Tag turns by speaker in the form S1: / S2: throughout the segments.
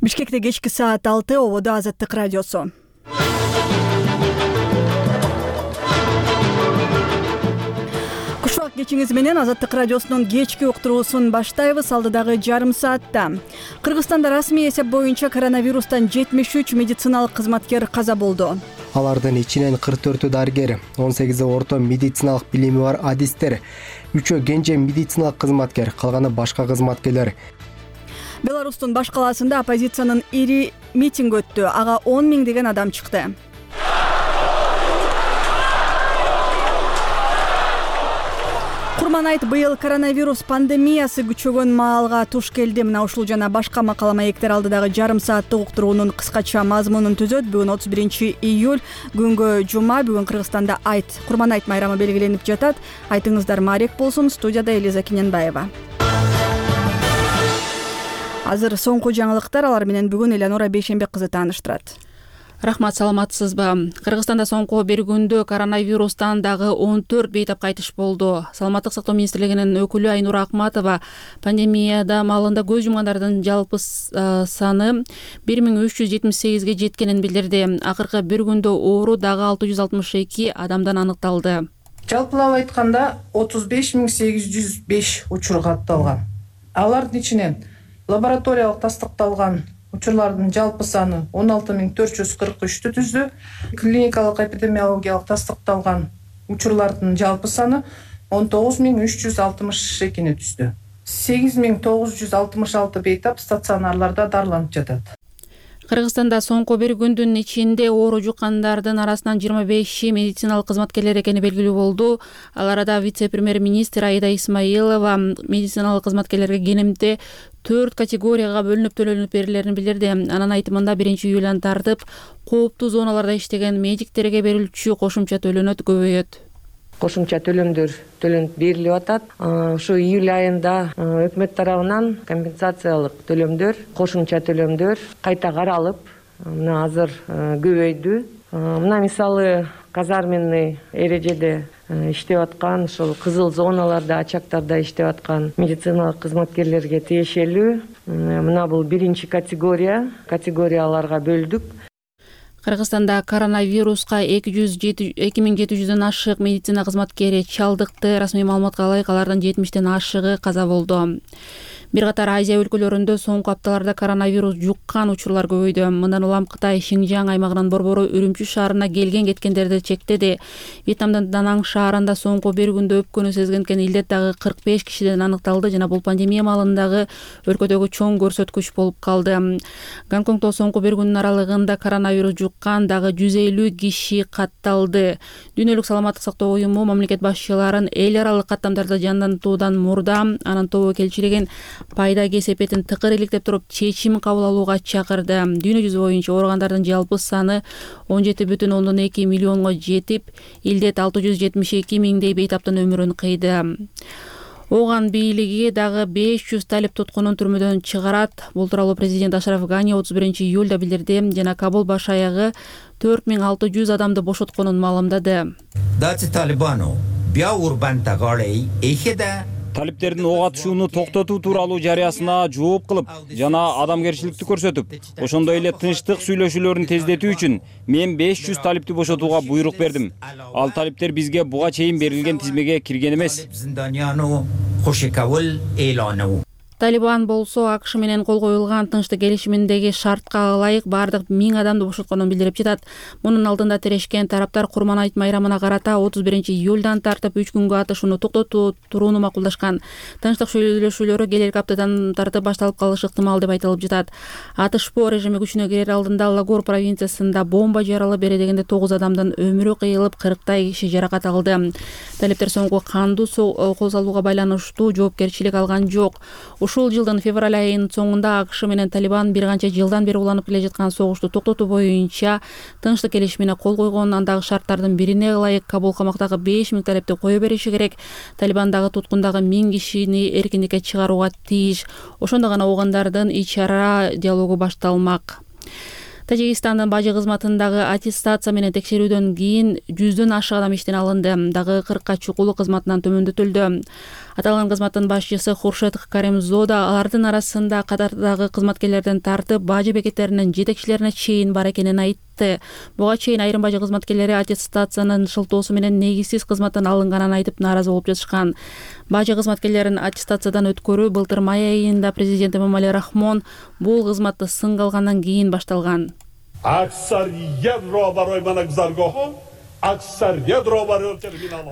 S1: Бишкекте кечки саат 6, ободо Азаттык радиосу. Кушак кечиңиз менен Азаттык радиосунун кечки уктуруусун баштайбыз. Алдыдагы жарым саатта Кыргызстанда расмий эсеп боюнча коронавирустан 73 медициналык кызматкер каза болду.
S2: Алардын ичинен 44 дарыгер, 18 орто медициналык билими бар адистер, 3 кенже медициналык кызматкер, калганы башка кызматкерлер.
S1: Беларустун баш калаасында оппозициянын ири митинг өттү. Ага 10 миңдеген адам чыкты. Курманайт быйыл коронавирус пандемиясы күчөгөн маалга туш келди. Мына ушул жана башка макала маектер алдыдагы жарым сааттык уктуруунун кыскача мазмунун түзөт. Бүгүн 31 июль, күнгө жума. Бүгүн Кыргызстанда Курманайт майрамы белгиленип жатат. Айтыңыздар маарек болсун. Студияда Элиза Киненбаева. Азыр соңку жаңылыктар, алар менен бүгүн Элеонора Бейшенбек кызы тааныштырат.
S3: Рахмат, саламатсызбы? Кыргызстанда соңку бир күндө коронавирустан дагы 14 бейтап кайтыш болду. Саламаттык сактоо министрлигинин өкүлү Айнура Акматова пандемия маалында көз жумгандардын жалпы саны 1378ге жеткенин билдирди. Акыркы бир күндө оору дагы 662 адамдан аныкталды.
S4: Жалпылап айтканда 35805 учур катталган. Алардын ичинен лабораториялык тастыкталган учурлардын жалпы саны 16443 түздү. Клиникалык эпидемиологиялык тастыкталган учурлардын жалпы саны 19362 түздү. 8966 бейтап стационарларда дарыланып жатат.
S3: Кыргызстанда соңку бир күндүн ичинде оору жуккандардын арасынан 25 медициналык кызматкерлер экени белгилүү болду. Ал арада вице-премьер-министр Аида Исмаилова медициналык кызматкерлерге кенемде 4 категорияга бөлүнүп төлөнүп берилерин билдирди. Анын айтымында 1-июлдан тартып кооптуу зоналарда иштеген медиктерге берилчү кошумча төлөнөт көбөйөт.
S5: Кошумча төлөмдөр төлөнүп берилип атат. Ушу июль айында өкмөт тарабынан компенсациялык төлөмдөр, кошумча төлөмдөр кайта каралып, мына азыр көбөйдү. Мына мисалы казарменный эрежеде иштеп аткан, ошол кызыл зоналарда, ачактарда иштеп аткан медициналык кызматкерлерге тиешелүү. Мына бул 1 категорияларга бөлдүк.
S3: Кыргызстанда коронавируска 2700дөн ашык медицина кызматкери чалдыкты. Расмий маалыматка ылайык алардын 70тен ашыгы каза болду. Бир катар Азия өлкөлөрүндө соңку апталарда коронавирус жуккан учурлар көбөйдү. Мындан улам Кытай Шинжаң аймагынан борбору Үрүмчү шаарына келген-кеткендерди чектеди. Вьетнамдын Данаң шаарында соңку бир күндө өпкөнү сезген илдет дагы 45 кишиден аныкталды жана бул пандемия маалындагы өлкөдөгү чоң көрсөткүч болуп калды. Гонконгдо соңку бир күндүн аралыгында коронавирус жуккан дагы 150 киши катталды. Дүйнөлүк саламаттык сактоо уюму мамлекет башчыларын эл аралык каттамдарды жандантуудан мурда анын тобокелчилигин пайда кесепетин тыкыр иликтеп туруп чечим кабыл алууга чакырды. Дүйнө жүзү боюнча ооругандардын жалпы саны 17,2 миллионго жетип, илдет 672 миңдей бейтаптын өмүрүн кыйды. Оган бийлиги дагы 500 талип туткунун түрмөдөн чыгарат. Бул тууралуу президент Ашраф Гани 31 июлда билдирди жана Кабул баш аягы 4600 адамды бошотконун маалымдады.
S6: Талиптердин ок атышууну токтотуу тууралуу жарыясына жооп кылып жана адамгерчиликти көрсөтүп, ошондой эле тынчтык сүйлөшүүлөрүн тездетүү үчүн мен 500 талипти бошотууга буйрук бердим. Ал талиптер бизге буга чейин берилген тизмеге кирген эмес.
S3: Талибан болсо АКШ менен кол коюлган тынчтык келишиминдеги шартка ылайык бардык 1000 адамды бошотконун билдирип жатат. Мунун алдында тирешкен тараптар Курманайт майрамына карата 31 июлдан тартып 3 күнгө атышууну токтотуу турууну макулдашкан. Тынчтык сүйлөшүүлөрү келерки аптадан тартып башталып калышы ыктымал деп айтылып жатат. Атышпоо режими күчүнө кирер алдында Лагор провинциясында бомба жаралып бере дегенде 9 адамдын өмүрү кыйылып, 40 киши жаракат алды. Талиптер соңку кандуу кол салууга байланыштуу жоопкерчилик алган жок. Ушул жылдын февраль айынын соңунда АКШ менен Талибан бир канча жылдан бери уланып келе жаткан согушту токтотуу боюнча тынчтык келишимине кол койгон. Андагы шарттардын бирине ылайык Кабул камактагы 5000 талипти кое бериши керек. Талибан дагы туткундагы 1000 кишини эркиндикке чыгарууга тийиш. Ошондо гана оогандардын ич ара диалогу башталмак. Тажикстандын бажы кызматындагы аттестация менен текшерүүдөн кийин 100дөн ашык адам иштен алынды. Дагы 40 чукулу кызматынан төмөндөтүлдү. Аталган кызматтын башчысы Хуршет Каримзода алардын арасында катардагы кызматкерлерден тартып бажы бекеттеринин жетекчилерине чейин бар экенин айтты. Буга чейин айрым бажы кызматкерлери аттестациянын шылтоосу менен негизсиз кызматтан алынганын айтып нааразы болуп жатышкан. Бажы кызматкерлерин аттестациядан өткөрүү былтыр май айында президент Эмомали Рахмон бул кызматты сынга алгандан кийин башталган.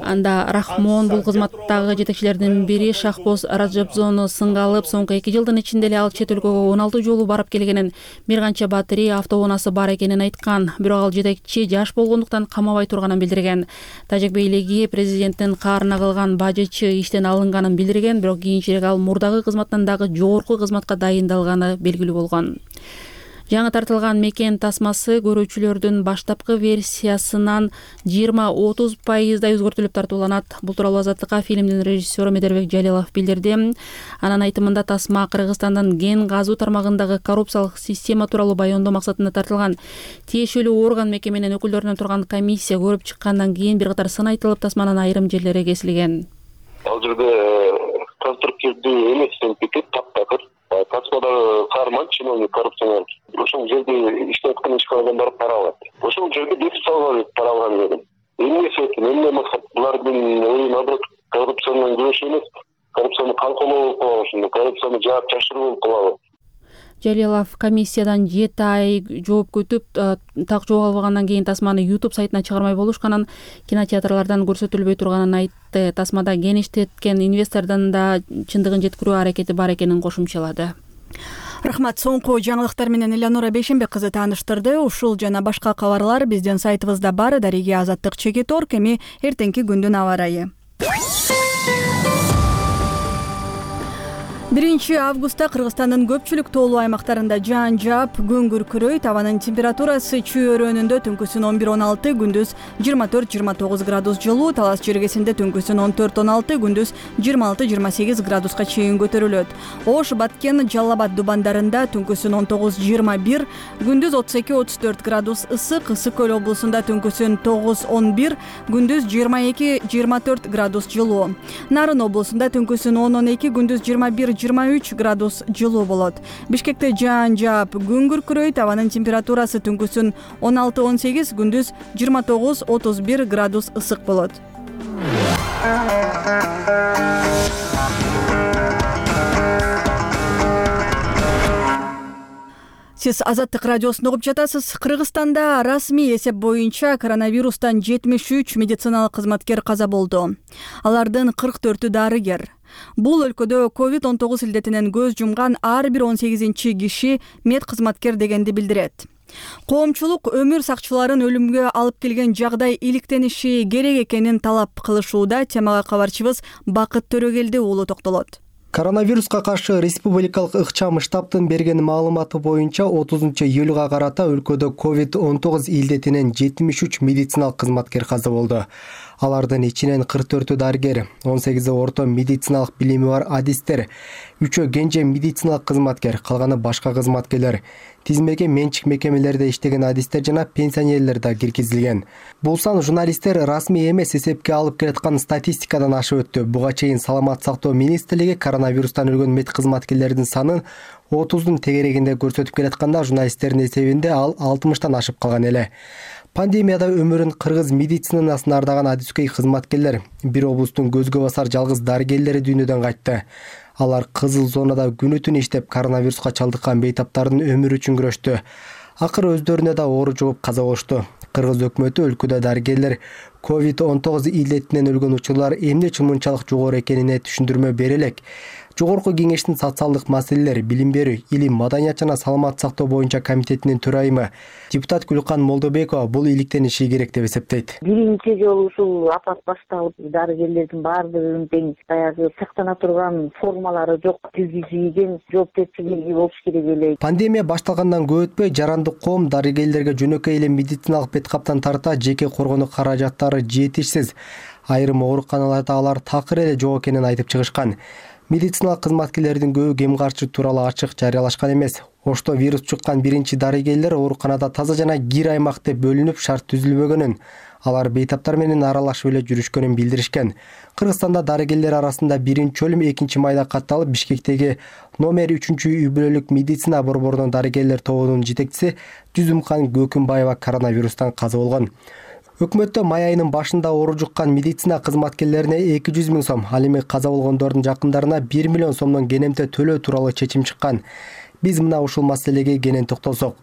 S3: Анда Рахмон бул кызматтагы жетекчилердин бири Шахбоз Раджабзону сынга алып, соңку 2 жылдын ичинде эле ал чет өлкөгө 16 жолу барып келгенин, бир канча батарея автоунаасы бар экенин айткан. Бирок ал жетекчи жаш болгондуктан камабай турганын билдирген. Тажик бийлиги президенттин каарына калган бажычы иштен алынганын билдирген, бирок кийинчерээк ал мурдагы кызматтан дагы жогорку кызматка дайындалганы белгилүү болгон. Жаңы тартылган мекен тасмасы көрүүчүлөрдүн баштапкы версиясынан 20-30% өзгөртүлүп тартууланат. Бул тууралуу Азаттыкка фильмдин режиссеру Медербек Жалилов билдирди. Анын айтымында тасма Кыргызстандын ген газуу тармагындагы коррупциялык система тууралуу баяндоо максатында тартылган. Тиешелүү орган мекеменин өкүлдөрүнөн турган комиссия көрүп чыккандан кийин бир катар сын айтылып, тасманын айрым жерлери кесилген.
S7: Ал жерде конструктивдүү эмес бекет таптакыр. Тасмадагы каарман чиновник коррупционер. Ошол жерде иштеп аткан ишканадан барып пара алат. Ошол жерде бекит салган пара алган жерде. Эмне себеп, эмне максат? Булардын ою наоборот коррупцияны күрөшүү эмес, коррупцияны канкоолоо болуп калат, ошондо коррупцияны жаап жашыруу болуп калат.
S3: Жалилов комиссиядан 7 ай жооп күтүп, так жооп албагандан кийин тасманы YouTube сайтына чыгармай болушканын, кинотеатрлардан көрсөтүлбөй турганын айтты. Тасмада ген иштеткен инвестордун да чындыгын жеткирүү аракети бар экенин кошумчалады.
S1: Рахмат. Соңку жаңылыктар менен Элеонора Бейшенбек кызы тааныштырды. Ушул жана башка кабарлар биздин сайтыбызда бар. Дариге Азаттык Чекит.org. Эми эртеңки күндүн аба ырайы. 1 августта Кыргызстандын көпчүлүк тоолуу аймактарында жаан жаап, күн күркүрөйт. Абанын температурасы чүй өрөөнүндө түнкүсүн 11-16, күндүз 24-29 градус жылуу, Талас жергесинде түнкүсүн 14-16, күндүз 26-28 градуска чейин көтөрүлөт. Ош, Баткен, Жалал Абад дубандарында түнкүсүн 19-21, күндүз 32-34 градус ысык, Ысык көл облусунда түнкүсүн 9-11, күндүз 22-24 градус жылуу. Нарын облусунда түнкүсүн 10-12, күндүз 21-23 градус жылуу болот. Бишкекте жаан жаап, күн күркүрөйт. Абанын температурасы түнкүсүн 16-18, күндүз 29-31 градус ысык болот. Сиз Азаттык радиосун угуп жатасыз. Кыргызстанда расмий эсеп боюнча коронавирустан 73 медициналык кызматкер каза болду. Алардын 44-ü дарыгер. Бул өлкөдө COVID-19 илдетинен көз жумган ар бир 18-чи киши мед кызматкер дегенди билдирет. Коомчулук өмүр сакчыларын өлүмгө алып келген жагдай иликтениши керек экенин талап кылышууда. Темага кабарчыбыз Бакыт Төрөгелди уулу токтолот.
S2: Коронавируска каршы республикалык ыкчам штабтын берген маалыматы боюнча 30-июлга карата өлкөдө COVID-19 илдетинен 73 медициналык кызматкер каза болду. Алардын ичинен 44-ü дарыгер, 18-и орто медициналык билими бар адистер, 3-ө кенже медициналык кызматкер, калганы башка кызматкерлер. Тизмеге менчик мекемелерде иштеген адистер жана пенсионерлер да киргизилген. Бул сан журналисттер расмий эмес эсепке алып келаткан статистикадан ашып өттү. Буга чейин Саламат сактоо министрлиги коронавирустан өлгөн мед кызматкерлердин санын 30-дун тегерегинде көрсөтүп келатканда, журналисттердин эсебинде ал 60-тан ашып калган эле. Пандемияда өмүрүн кыргыз медицинасына ардаган адискөй кызматкерлер, бир облустун көзгө басар жалгыз дарыгерлери дүйнөдөн кайтты. Алар кызыл зонада күнү-түн иштеп, коронавируска чалдыккан бейтаптардын өмүрү үчүн күрөштү. Акыры өздөрүнө да оору жугуп каза болушту. Кыргыз өкмөтү өлкөдө дарыгерлер COVID-19 илдетинен өлгөн учурлар эмне үчүн мынчалык жогору экенине түшүндүрмө бере элек. Жогорку кеңештин социалдык маселелер, билим берүү, илим, маданият жана саламат сактоо боюнча комитетинин төрайымы депутат Гүлкан Молдобекова бул иликтениши керек деп эсептейт.
S8: Биринчи жолу ушул апат башталып, дарыгерлердин баардыгынын тең баягы сактана турган формалары жок, киргизилген жоопкерчилиги болуш керек эле.
S2: Пандемия башталгандан көп өтпөй, жарандык коом дарыгерлерге жөнөкөй эле медициналык беткаптан тарта жеке коргонуу каражаттары жетишсиз. Айрым ооруканаларда алар такыр эле жок экенин айтып чыгышкан. Медициналык кызматкерлердин көбү кем каршы тууралуу ачык жарыялашкан эмес. Ошто вирус чуккан биринчи дарыгерлер ооруканада таза жана кир аймак деп бөлүнүп шарт түзүлбөгөнүн, Алар бейтаптар менен аралашып эле жүрүшкөнүн билдиришкен. Кыргызстанда дарыгерлер арасында 1-өлүм 2-майда катталып, Бишкектеги номер 3-үй бүлөлүк медицина борборунун дарыгерлер тобунун жетекчиси Жүзүмкан Көкүмбаева коронавирустан каза болгон. Өкмөттө май айынын башында оору жуккан медицина кызматкерлерине 200 000 сом, ал эми каза болгондордун жакындарына 1 миллион сомдон кенемте төлөө тууралуу чечим чыккан. Биз мына ушул маселеге кенен токтолсок.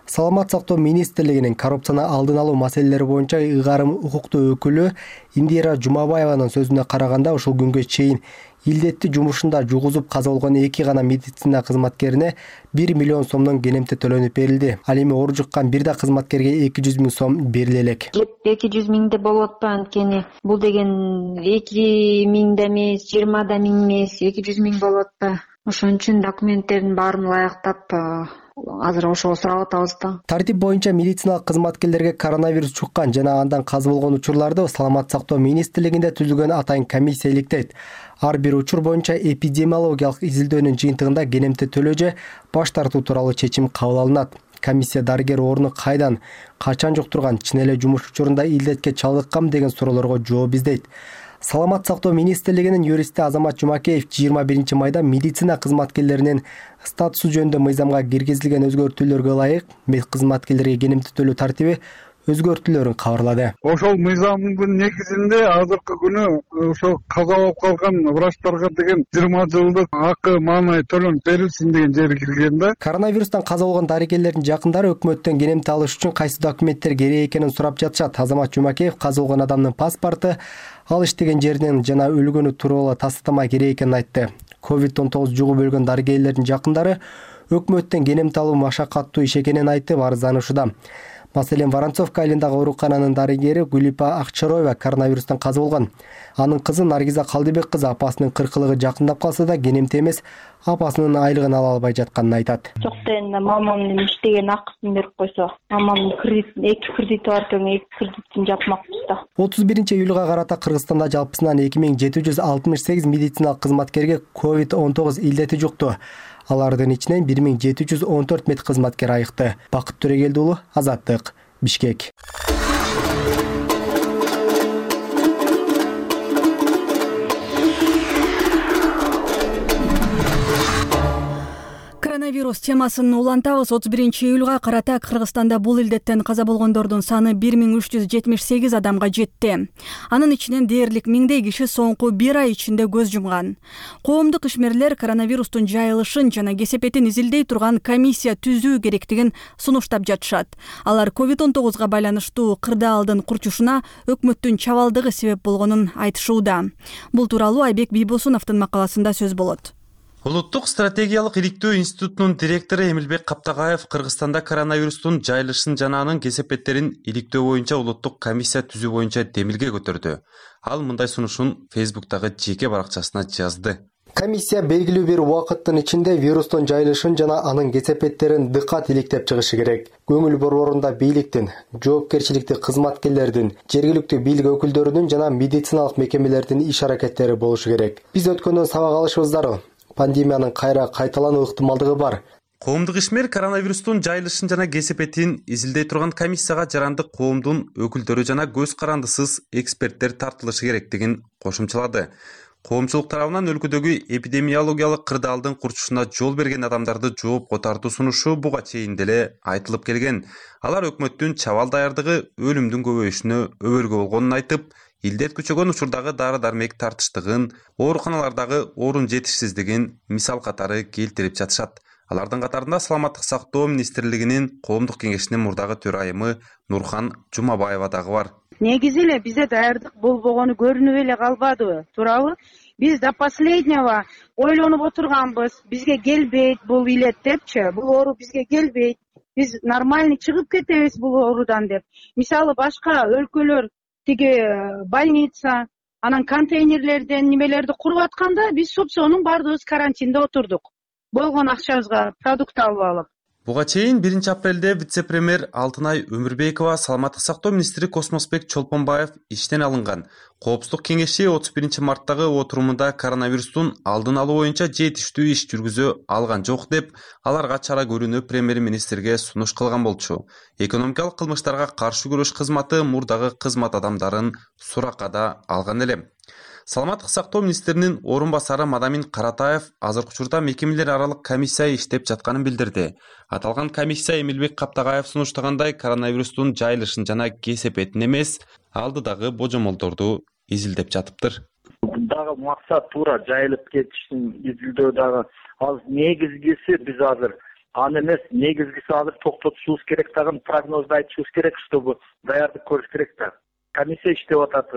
S2: Саламат сактоо министрлигинин коррупцияны алдын алуу маселелери боюнча ыйгарым укуктуу өкүлү Индира Жумабаеванын сөзүнө караганда, ушул күнгө чейин илдетти жумушунда жугузуп каза болгон 2 гана медицина кызматкерине 1 миллион сомдон кенемте төлөнүп берилди. Ал эми оору жуккан бир да кызматкерге 200 000 сом бериле элек.
S9: 200 000 да болуп атпайбы, анткени бул деген 2 000 да эмес, 20 да миң эмес, 200 000 болуп атпайбы. Ошон үчүн документтердин баарын ылайыктап азыр ошого сурап атабыз да.
S2: Тартип боюнча медициналык кызматкерлерге коронавирус жуккан жана андан каза болгон учурларды Саламат сактоо министрлигинде түзүлгөн атайын комиссия иликтейт. Ар бир учур боюнча эпидемиологиялык изилдөөнүн жыйынтыгында кенемте төлөө же баш тартуу тууралуу чечим кабыл алынат. Комиссия дарыгер орну кайдан, качан жуктурган, чын эле жумуш учурунда илдетке чалдыкканбы деген суроолорго жооп издейт. Саламат сактоо министрлигинин юристи Азамат Жумакеев 21 майда медицина кызматкерлеринин статусу жөнүндө мыйзамга киргизилген өзгөртүүлөргө ылайык кызматкерлерге кенемте төлөө тартиби өзгөртүүлөрүн кабарлады.
S10: Ошол мыйзамдын негизинде азыркы күнү ошо каза болуп калган врачтарга деген 20 жылдык акы маанай төлөнүп берилсин деген жери кирген да.
S2: Коронавирустан каза болгон дарыгерлердин жакындары өкмөттөн кенемте алыш үчүн кайсы документтер керек экенин сурап жатышат. Азамат Жумакеев каза болгон адамдын паспорту, ал иштеген жеринен жана өлгөнү тууралуу тастама керек экенин айтты. COVID-19 жугуп өлгөн дарыгерлердин жакындары өкмөттөн кенемте алуу машакаттуу иш экенин айтып арызданышууда. Маселен, Воронцовка айылындагы оорукананын дарыгери Гулипа Акчароева коронавирустан каза болгон. Анын кызы Наргиза Калдыбек кызы апасынын 40-лыгы жакындап калса да кенемте эмес, апасынын айлыгын ала албай жатканын айтат.
S9: Жок дегенде мамамдын иштеген акысын берип койсо, мамамдын эки кредити бар экен, эки кредитин жапмакпыз да.
S2: 31-июлга карата Кыргызстанда жалпысынан 2768 медициналык кызматкерге COVID-19 илдети жукту. Алардын ичинен 1714 медкызматкер айыкты. Бакыт Төрөгелди уулу, Азаттык, Бишкек.
S1: Коронавирус темасын улантабыз. 31-июлга карата Кыргызстанда бул илдеттен каза болгондордун саны 1378 адамга жетти. Анын ичинен дээрлик 1000 киши соңку 1 ай ичинде көз жумган. Коомдук ишмерлер коронавирустун жайылышын жана кесепетин изилдей турган комиссия түзүү керектигин сунуштап жатышат. Алар COVID-19 байланыштуу кырдаалдын курчушуна өкмөттүн чабалдыгы себеп болгонун айтышууда. Бул тууралуу Айбек Бийбосуновдун макаласында сөз болот.
S11: Улуттук стратегиялык иликтөө институтунун директору Эмилбек Каптагаев Кыргызстанда коронавирустун жайылышын жана анын кесепеттерин иликтөө боюнча улуттук комиссия түзүү боюнча демилге көтөрдү. Ал мындай сунушун Фейсбуктагы жеке баракчасына жазды.
S2: Комиссия белгилүү бир убакыттын ичинде вирустун жайылышын жана анын кесепеттерин дыкат иликтеп чыгышы керек. Көңүл борборунда бийликтин, жоопкерчиликтүү кызматкерлердин, жергиликтүү бийлик өкүлдөрүнүн жана медициналык мекемелердин иш-аракеттери болушу керек. Биз өткөндөн сабак алышыбыз зарыл. Пандемиянын кайра кайталануу ыктымалдыгы бар.
S11: Коомдук ишмер коронавирустун жайылышын жана кесепетин изилдей турган комиссияга жарандык коомдун өкүлдөрү жана көз карандысыз эксперттер тартылышы керектигин кошумчалады. Коомчулук тарабынан өлкөдөгү эпидемиологиялык кырдаалдын курчушуна жол берген адамдарды жоопко тартуу сунушу буга чейин деле айтылып келген. Алар өкмөттүн чабал даярдыгы өлүмдүн көбөйүшүнө өбөлгө болгонун айтып, илдет күчөгөн учурдагы дары-дармек тартыштыгын, ооруканалардагы орун жетишсиздигин мисал катары келтирип жатышат. Алардын катарында Саламаттык сактоо министрлигинин коомдук кеңешинин мурдагы төрайымы Нурхан Жумабаева дагы бар.
S12: Негизи эле бизде даярдык болбогону көрүнүп эле калбадыбы, туурабы? Биз до последнего ойлонуп отурганбыз, бизге келбейт бул илет депчи, бул оору бизге келбейт. Биз нормальный чыгып кетебиз бул оорудан деп. Мисалы башка өлкөлөр тиги больница, анан контейнерлерден немелерди куруп атканда биз сопсонун баардыгыбыз карантинде отурдук. Болгон акчабызга продукт алып алып.
S11: Буга чейин 1-апрелде вице-премьер Алтынай Өмүрбекова, саламаттык сактоо министри Космосбек Чолпонбаев иштен алынган. Коопсуздук кеңеши 31-марттагы отурумунда коронавирустун алдын алуу боюнча жетиштүү иш жүргүзө алган жок деп, аларга чара көрүүнү премьер-министрге сунуш кылган болчу. Экономикалык кылмыштарга каршы күрөш кызматы мурдагы кызмат адамдарын суракка да алган эле. Саламаттык сактоо министринин орун басары Мадамин Каратаев азыркы учурда мекемелер аралык комиссия иштеп жатканын билдирди. Аталган комиссия Эмилбек Каптагаев сунуштагандай коронавирустун жайылышын жана кесепетин эмес, алдыдагы божомолдорду изилдеп жатыптыр.
S13: Дагы максат туура жайылып кетиштин изилдөө дагы ал негизгиси биз азыр аны эмес, негизгиси азыр токтотушубуз керек, дагы прогнозду айтышыбыз керек, чтобы даярдык көрүш керек да. Комиссия иштеп атат,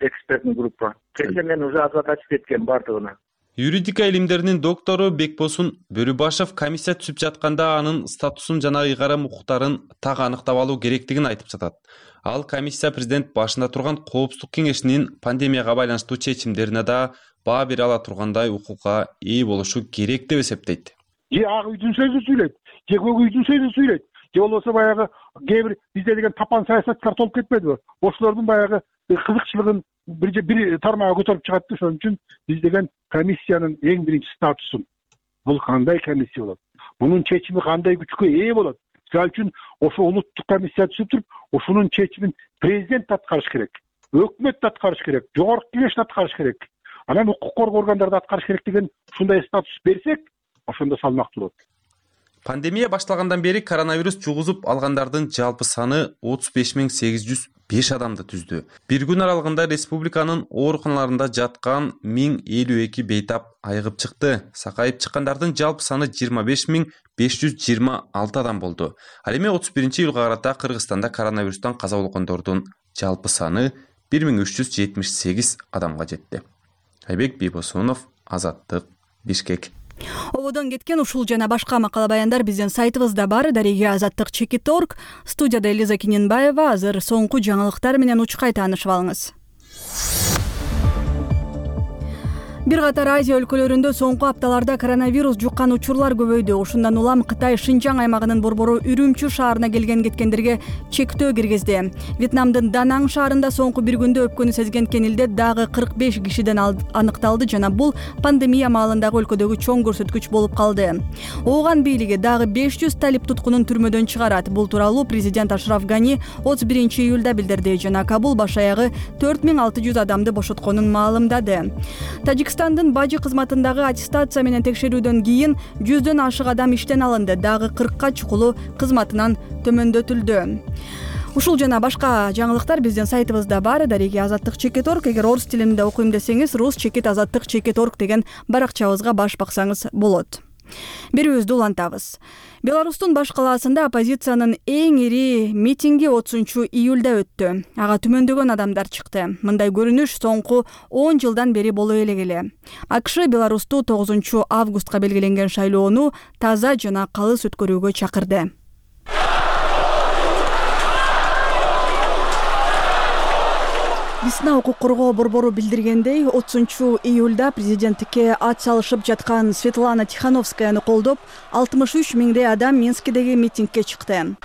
S13: экспертный группа. Кечээ мен уже озадачить эткем бардыгына.
S11: Юридика илимдеринин доктору Бекбосун Бөрүбашев комиссия түзүп жатканда анын статусун жана ыйгарым укуктарын так аныктап алуу керектигин айтып жатат. Ал комиссия президент башында турган коопсуздук кеңешинин пандемияга байланыштуу чечимдерине да баа бере ала тургандай укукка ээ болушу керек деп эсептейт.
S14: Же ак үйдүн сөзүн сүйлөйт, же көк үйдүн сөзүн сүйлөйт. Же болбосо баягы кээ бир бизде деген тапан саясаткар толуп кетпедиби? Ошолордун баягы кызыкчылыгын бир тармагы көтөрүп чыгат да, ошон үчүн биз деген комиссиянын эң биринчи статусун. Бул кандай комиссия болот? Мунун чечими кандай күчкө ээ болот? Мисалы үчүн ошо улуттук комиссия түзүп туруп, ошонун чечимин президент аткарыш керек, өкмөт аткарыш керек, жогорку кеңеш аткарыш керек, анан укук коргоо органдары аткарыш керек деген ушундай статус берсек, ошондо салмактуу болот.
S11: Пандемия башталгандан бери коронавирус жугузуп алгандардын жалпы саны 35.805 адамды түздү. Бир күн аралыгында республиканын ооруканаларында жаткан 1052 бейтап айыгып чыкты. Сакайып чыккандардын жалпы саны 25.526 адам болду. Ал эми 31-июлга карата Кыргызстанда коронавирустан каза болгондордун жалпы саны 1378 адамга жетти. Айбек Бийбосунов, Азаттык, Бишкек.
S1: Ободон кеткен ушул жана башка макала баяндар биздин сайтыбызда бар. Дареге Азаттык.org. Студияда Элиза Киненбаева. Азыр соңку жаңылыктар менен учкай таанышып алыңыз. Бир катар Азия өлкөлөрүндө соңку апталарда коронавирус жуккан учурлар көбөйдү. Ушундан улам Кытай Шинжаң аймагынын борбору Үрүмчү шаарына келген-кеткендерге чектөө киргизди. Вьетнамдын Данаң шаарында соңку бир күндө өпкөнү сезген кенилде дагы 45 кишиден аныкталды жана бул пандемия маалындагы өлкөдөгү чоң көрсөткүч болуп калды. Ооган бийлиги дагы 500 талип туткунун түрмөдөн чыгарат. Бул тууралуу президент Ашраф Гани 31-июлда билдирди жана Кабул баш аягы 4600 адамды бошотконун маалымдады. Тажикстандын бажы кызматындагы аттестация менен текшерүүдөн кийин 100дөн ашык адам иштен алынды, дагы 40ка чукулу кызматынан төмөндөтүлдү. Ушул жана башка жаңылыктар биздин сайтыбызда бар. Дареге Азаттык.org. Эгер орус тилинде окуйм десеңиз, rus-azattik.org деген баракчабызга баш баксаңыз болот. Берүүбүздү улантабыз. Беларустун баш калаасында оппозициянын эң ири митинги 30-июлда өттү. Ага түмөндөгөн адамдар чыкты. Мындай көрүнүш соңку 10 жылдан бери боло элегеле. АКШ Беларусту 9-августка белгиленген шайлоону таза жана калыс өткөрүүгө чакырды. Весна укук коргоо борбору билдиргендей, 30-июлда президенттикке ат салышып жаткан Светлана Тихановскаяны колдоп, 63 миңдей адам Минскидеги митингке чыкты.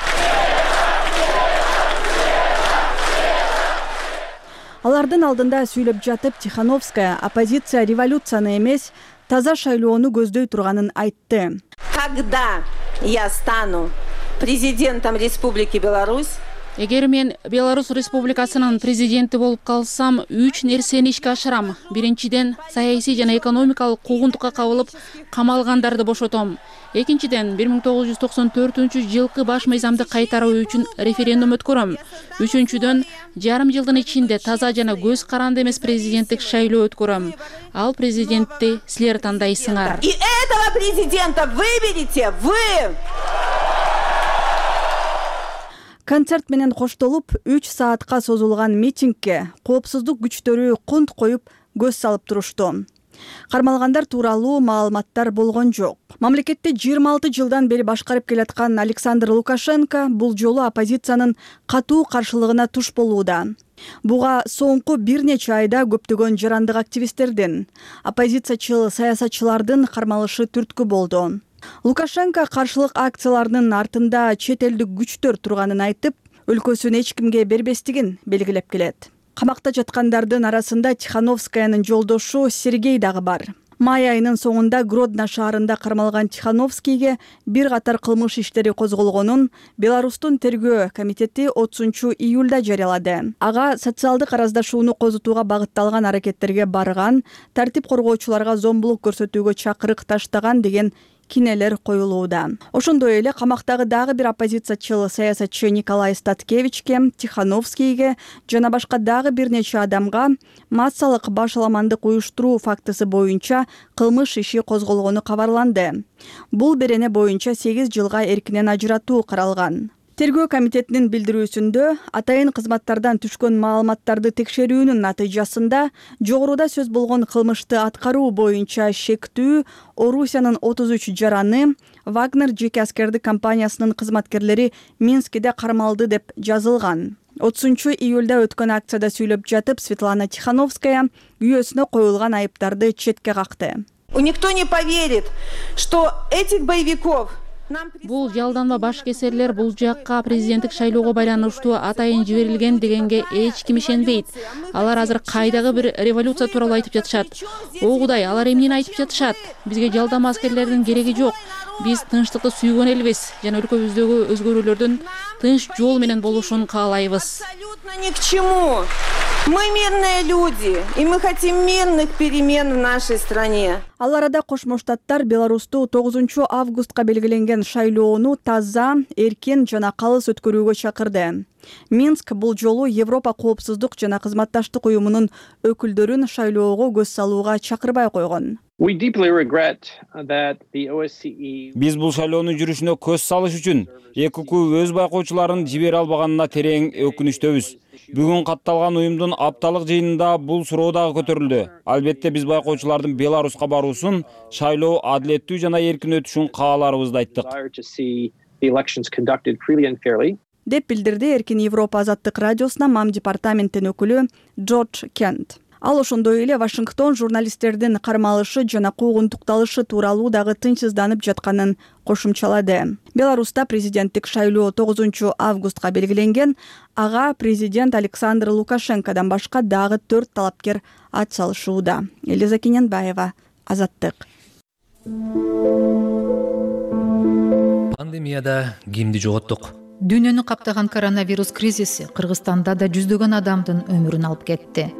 S1: Алардын алдында сүйлөп жатып, Тихановская оппозиция революцияны эмес, таза шайлоону көздөй турганын айтты.
S15: Когда я стану президентом Республики Беларусь,
S3: Эгер мен Беларусь Республикасынын президенти болуп калсам, 3 нерсени ишке ашырам. Биринчиден, саясий жана экономикалык куугунтукка кабылып камалгандарды бошотом. Экинчиден, 1994-жылкы баш мыйзамды кайтаруу үчүн референдум өткөрөм. Үчүнчүдөн, жарым жылдын ичинде таза жана көз каранды эмес президенттик шайлоо өткөрөм. Ал президентти силер тандайсыңар.
S15: И этого президента выберете вы!
S1: Концерт менен коштолуп 3 саатка созулган митингке коопсуздук күчтөрү кунт коюп көз салып турушту. Кармалгандар тууралуу маалыматтар болгон жок. Мамлекетти 26 жылдан бери башкарып келаткан Александр Лукашенко бул жолу оппозициянын катуу каршылыгына туш болууда. Буга соңку бир нече айда көптөгөн жарандык активисттердин, оппозициячыл саясатчылардын кармалышы түрткү болду. Лукашенко каршылык акцияларынын артында чет элдик күчтөр турганын айтып, өлкөсүн эч кимге бербестигин белгилеп келет. Камакта жаткандардын арасында Тихановскаянын жолдошу Сергей дагы бар. Май айынын соңунда Гродно шаарында кармалган Тихановскийге бир катар кылмыш иштери козголгонун Беларустун тергөө комитети 30 июлда жарыялады. Ага социалдык араздашууну козутууга багытталган аракеттерге барган, тартип коргоочуларга зомбулук көрсөтүүгө чакырык таштаган деген кинелер коюлууда. Ошондой эле камактагы дагы бир оппозициячыл саясатчы Николай Статкевичке, Тихановскийге жана башка дагы бир нече адамга массалык башаламандык уюштуруу фактысы боюнча кылмыш иши козголгону кабарланды. Бул берене боюнча 8 жылга эркинен ажыратуу каралган. Тергөө комитетинин билдирүүсүндө атайын кызматтардан түшкөн маалыматтарды текшерүүнүн натыйжасында жогоруда сөз болгон кылмышты аткаруу боюнча шектүү Орусиянын 33 жараны Вагнер жеке аскердик компаниясынын кызматкерлери Минскиде кармалды деп жазылган. 30 июлда өткөн акцияда сүйлөп жатып Светлана Тихановская күйөөсүнө коюлган айыптарды четке какты.
S15: Никто не поверит, что этих боевиков
S3: Бул жалданма баш кесерлер бул жакка президенттик шайлоого байланыштуу атайын жиберилген дегенге эч ким ишенбейт. Алар азыр кайдагы бир революция тууралуу айтып жатышат. О Кудай, алар эмнени айтып жатышат? Бизге жалданма аскерлердин кереги жок. Биз тынчтыкты сүйгөн элбиз жана өлкөбүздөгү өзгөрүүлөрдүн тынч жол менен болушун каалайбыз.
S15: Абсолютно ни к чему. Мы мирные люди, и мы хотим мирных перемен в нашей стране.
S1: Ал арада Кошмо Штаттар Беларусту 9 августка белгиленген шайлоону таза, эркин жана калыс өткөрүүгө чакырды. Минск бул жолу Европа коопсуздук жана кызматташтык уюмунун өкүлдөрүн шайлоого көз салууга чакырбай койгон.
S6: Биз бул шайлоонун жүрүшүнө көз салыш үчүн ЭКК өз байкоочуларын жибере албаганына терең өкүнүчтөбүз. Бүгүн катталган уюмдун апталык жыйынында бул суроо дагы көтөрүлдү. Албетте биз байкоочулардын Беларуска баруусун, шайлоо адилеттүү жана эркин өтүшүн кааларыбызды айттык. Деп
S1: билдирди Эркин Европа азаттык радиосуна МАМ департаментинин өкүлү Джордж Кент. Ал ошондой эле Вашингтон журналисттердин кармалышы жана куугунтукталышы тууралуу дагы тынчсызданып жатканын кошумчалады. Беларуста президенттик шайлоо 9 августка белгиленген. Ага президент Александр Лукашенкодан башка дагы 4 талапкер ат салышууда. Элиза Кененбаева, Азаттык.
S16: Пандемияда кимди жоготтук?
S17: Дүйнөнү каптаган коронавирус кризиси Кыргызстанда да жүздөгөн адамдын өмүрүн алып кетти.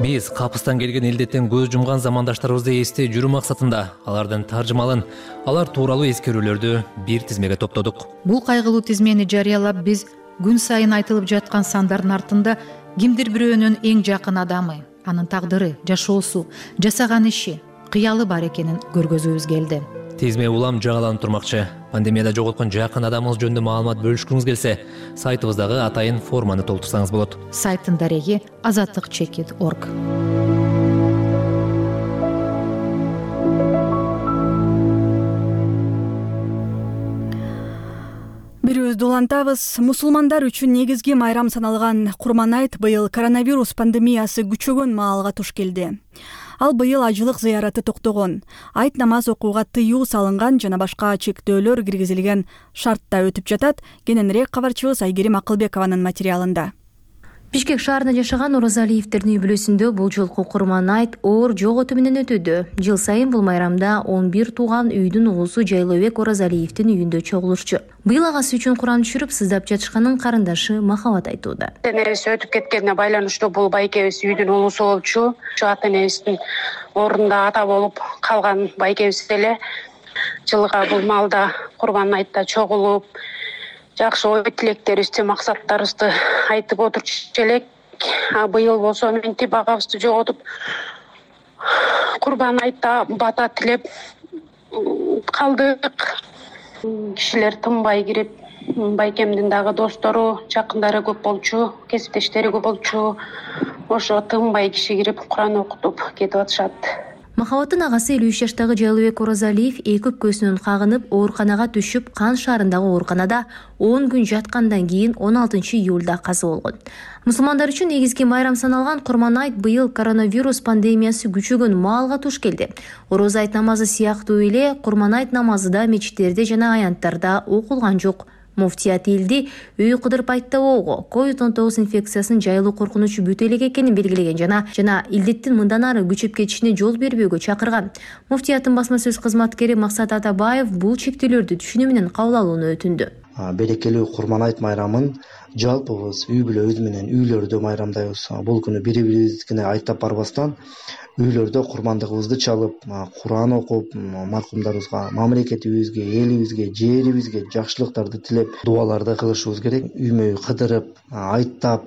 S16: Биз капыстан келген илдеттен көз жумган замандаштарыбызды эстей жүрүү максатында алардын таржымалын, алар тууралуу эскерүүлөрдү бир тизмеге топтодук.
S17: Бул кайгылуу тизмени жарыялап биз күн сайын айтылып жаткан сандардын артында кимдир бирөөнүн эң жакын адамы, анын тагдыры, жашоосу, жасаган иши, кыялы бар экенин көргөзүүбүз келди.
S16: Тизме улам жаңыланып турмакчы. Пандемияда жоготкон жакын адамыңыз жөнүндө маалымат бөлүшкүңүз келсе, сайтыбыздагы атайын форманы толтурсаңыз болот.
S17: Сайттын дареги azatlyk.org.
S1: Бирөөбүздү улантабыз. Мусулмандар үчүн негизги майрам саналган Курман айт быйыл коронавирус пандемиясы күчөгөн маалга туш келди. Ал быйыл ажылык зыяраты токтогон, айт намаз окууга тыюу салынган жана башка чектөөлөр киргизилген шартта өтүп жатат. Кененирээк кабарчыбыз Айгерим Акылбекованын материалында.
S18: Бишкек шаарында жашаган Оразалиевдердин үй-бүлөсүндө бул жолку Курман айт оор жоготуу менен өтүүдө. Жыл сайын бул майрамда 11 тууган үйдүн уулусу Жайлообек Оразалиевдин үйүндө чогулурчу. Быйыл агасы үчүн Куран түшүрүп сыздап жатышканын карындашы Махабат айтууда.
S19: Энебиз өтүп кеткенине байланыштуу бул байкебиз үйдүн уулусу болчу. Ата энебиздин ордунда ата болуп калган байкебиз эле. Жылга бул маалда Курман айтта чогулуп жакшы ой тилектерибизди, максаттарыбызды айтып отурчу элек. Быйыл болсо мынтип агабызды жоготуп Курман айтта бата тилеп калдык. Кишилер тынбай кирип, байкемдин дагы достору, жакындары көп болчу, кесиптештери көп болчу. Ошо тынбай киши кирип Куран окутуп кетип атышат.
S18: Махабаттын агасы 53 жаштагы Жайлыбек Оразалиев эки өпкөсүнөн кагынып ооруканага түшүп, Кан шаарындагы ооруканада 10 күн жаткандан кийин 16 июлда каза болгон. Мусулмандар үчүн негизги майрам саналган Курман айт быйыл коронавирус пандемиясы күчөгөн маалга туш келди. Орозо айт намазы сыяктуу эле Курман айт намазы да мечиттерде жана аянттарда окулган жок. Муфтият элди үй кыдырып айттабоого COVID-19 инфекциясынын жайылуу коркунучу бүт элек экенин белгилеген жана илдеттин мындан ары күчөп кетишине жол бербөөгө чакырган. Муфтияттын басма сөз кызматкери Максат Атабаев бул чектөөлөрдү түшүнүү менен кабыл алууну өтүндү.
S20: Берекелүү Курман айт майрамын жалпыбыз үй бүлө өз менен үйлөрдө майрамдайбыз. Бул күнү бири-бирибизге айттап барбастан үйлөрдө курмандыгыбызды чалып, Куран окуп, маркумдарыбызга, мамлекетибизге, элибизге, жерибизге жакшылыктарды тилеп, дуаларды кылышыбыз керек. Үймө кыдырып, айттап,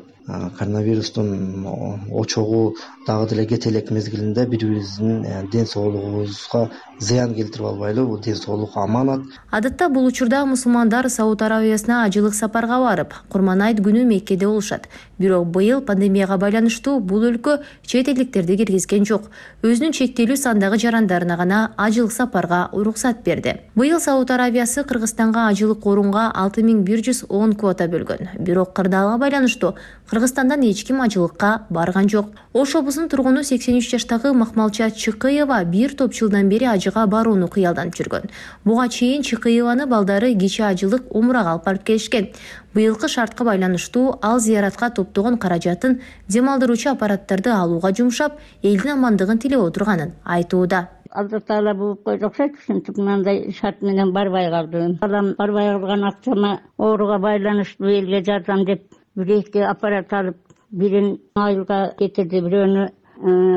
S20: коронавирустун очогу дагы деле кете элек мезгилинде бири-бирибиздин ден соолугубузга зыян келтирип албайлы, бул ден соолук аманат.
S18: Адатта бул учурда мусулмандар Сауд Арабиясына ажылык сапарга барып, Курман айт күнү Меккеде болушат. Бирок быйыл пандемияга байланыштуу бул өлкө чет элдиктерди киргизген жок. Өзүнүн чектелүү сандагы жарандарына гана ажылык сапарга уруксат берди. Быйыл Сауд Арабиясы Кыргызстанга ажылык орунга 6110 квота бөлгөн. Бирок кырдаалга байланыштуу Кыргызстандан эч ким ажылыкка барган жок. Ош облусунун тургуну 83 жаштагы Махмалча Чыкыева бир топ жылдан бери ажыга барууну кыялданып жүргөн. Буга чейин Чыкыеваны балдары кече ажылык умрага алып барып келишкен. Быйылкы шартка байланыштуу ал зыяратка топтогон каражатын дем алдыруучу аппараттарды алууга жумшап, элдин амандыгын тилеп отурганын айтууда.
S21: Алла Таала буюп койду окшойт, ушинтип мындай шарт менен барбай калдым. Балам барбай калган акчама ооруга байланыштуу элге жардам деп бир-эки аппарат алып, бирин айылга кетирди, бирөөнү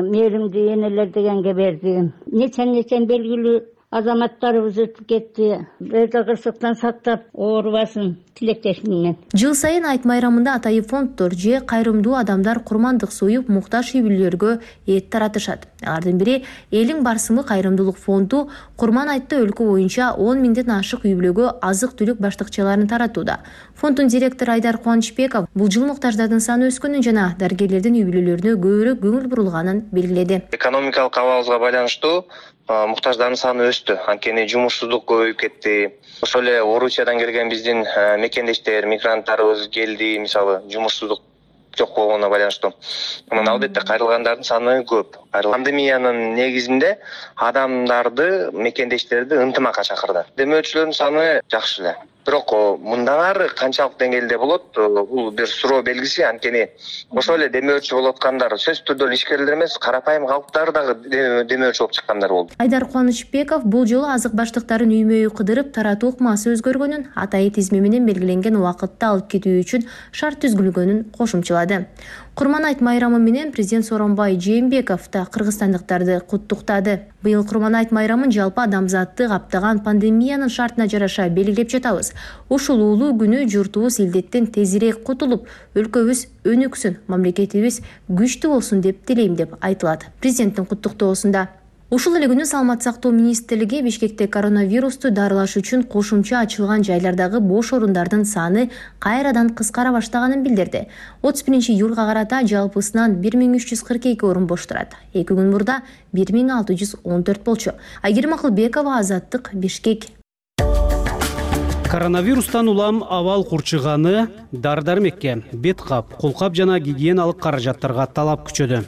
S21: мээримдүү энелер дегенге берди. Нечен белгилүү азаматтарыбыз өтүп кетти. Өтө кырсыктан сактап, оорубасын тилектешиммен.
S18: Жыл сайын айт майрамында атайын фонддор же кайрымдуу адамдар курмандык союп, муктаж үй бүлөлөргө эт таратышат. Алардын бири Элиң Барсымы кайрымдуулук фонду Курман айтта өлкө боюнча 10 миңден ашык үй бүлөгө азык-түлүк баштыкчаларын таратууда. Фонддун директору Айдар Кубанычбеков бул жыл муктаждардын саны өскөнүн жана дарыгерлердин үй бүлөлөрүнө көбүрөөк көңүл бурулганын белгиледи.
S22: Экономикалык абалыбызга байланыштуу муктаждардын саны өстү. Анткени жумушсуздук көбөйүп кетти. Ошол эле Орусиядан келген биздин мекендештер, мигранттарыбыз келди, мисалы, жумушсуздук жок болгонуна байланыштуу. Мына албетте кайрылгандардын саны көп. Пандемиянын негизинде адамдарды, мекендештерди ынтымакка чакырды. Демөөчүлөрдүн саны жакшы эле. Бирок мындан ары канчалык деңгээлде болот, бул бир суроо белгиси. Анткени ошол эле демөөчү болуп аткандар сөзсүз түрдө ишкерлер эмес, карапайым калктар дагы демөөчү болуп чыккандар болду.
S18: Айдар Кубанычбеков бул жолу азык баштыктарын үймө-үй кыдырып таратуу ыкмасы өзгөргөнүн, атайын тизме менен белгиленген убакытта алып кетүү үчүн шарт түзүлгөнүн кошумчалады. Курман айт майрамы менен президент Сооронбай Жээнбеков да кыргызстандыктарды куттуктады. Быйыл Курман айт майрамын жалпы адамзатты каптаган пандемиянын шартына жараша белгилеп жатабыз. Ушул улуу күнү журтубуз илдеттен тезирээк кутулуп, өлкөбүз өнүксүн, мамлекетибиз күчтүү болсун деп тилейм деп айтылат президенттин куттуктоосунда. Ушул эле күнү Саламаттык сактоо министрлиги Бишкекте коронавирусту дарылаш үчүн кошумча ачылган жайлардагы бош орундардын саны кайрадан кыскара баштаганын билдирди. 31 июлга карата жалпысынан 1342 орун бош турат. 2 күн мурда 1614 болчу. Айгерим Акылбекова, Азаттык, Бишкек.
S23: Коронавирустан улам абал курчуганы дары-дармекке, бет кап, колкап жана гигиеналык каражаттарга талап күчөдү.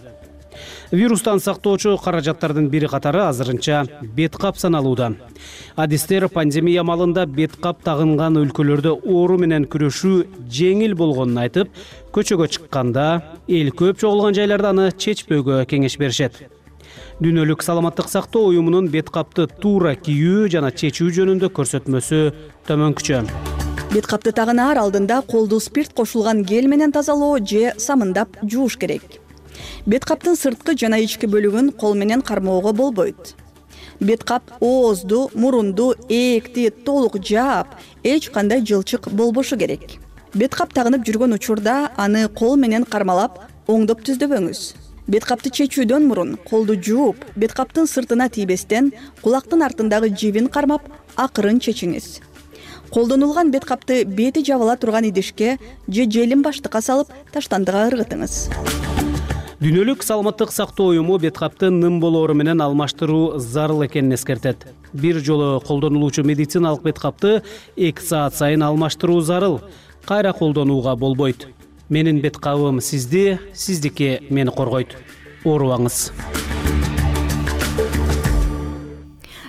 S23: Вирустан сактоочу каражаттардын бири катары азырынча бет кап саналууда. Адистер пандемия малында бет кап тагынган өлкөлөрдө оору менен күрөшүү жеңил болгонун айтып, көчөгө чыкканда, эл көп чогулган жайларда аны чечпөөгө кеңеш беришет. Дүйнөлүк саламаттык сактоо уюмунун бет капты туура кийүү жана чечүү жөнүндө көрсөтмөсү төмөнкүчө.
S1: Бет капты тагынаар алдында колду спирт кошулган гель менен тазалоо же самындап жууш керек. Бет каптын сырткы жана ички бөлүгүн кол менен кармоого болбойт. Бет кап оозду, мурунду, ээкти толук жаап, эч кандай жылчык болбошу керек. Бет кап тагынып жүргөн учурда аны кол менен кармалап, оңдоп түздөбөңүз. Бет капты чечүүдөн мурун колду жууп, бет каптын сыртына тийбестен кулактын артындагы жибин кармап, акырын чечиңиз. Колдонулган бет капты бети жабыла турган идишке же желим баштыкка салып, таштандыга ыргытыңыз.
S23: Дүйнөлүк саламаттык сактоо уюму бет капты ным болоору менен алмаштыруу зарыл экенин эскертет. Бир жолу колдонулуучу медициналык бет капты 2 саат сайын алмаштыруу зарыл. Кайра колдонууга болбойт. Менин бет кабым сизди, сиздики мени коргойт. Оорубаңыз.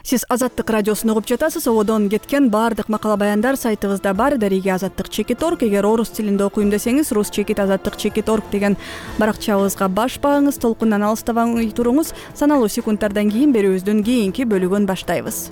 S1: Сиз Азаттык радиосун угуп жатасыз. Ободон кеткен баардык макала баяндар сайтыбызда бар. Дариги azattik.org. Эгер орус тилинде окуйм десеңиз, rus-azattik.org деген баракчабызга баш багыңыз, толкундан алыстабай туруңуз. Саналуу секундтардан кийин берүүбүздүн кийинки бөлүгүн баштайбыз.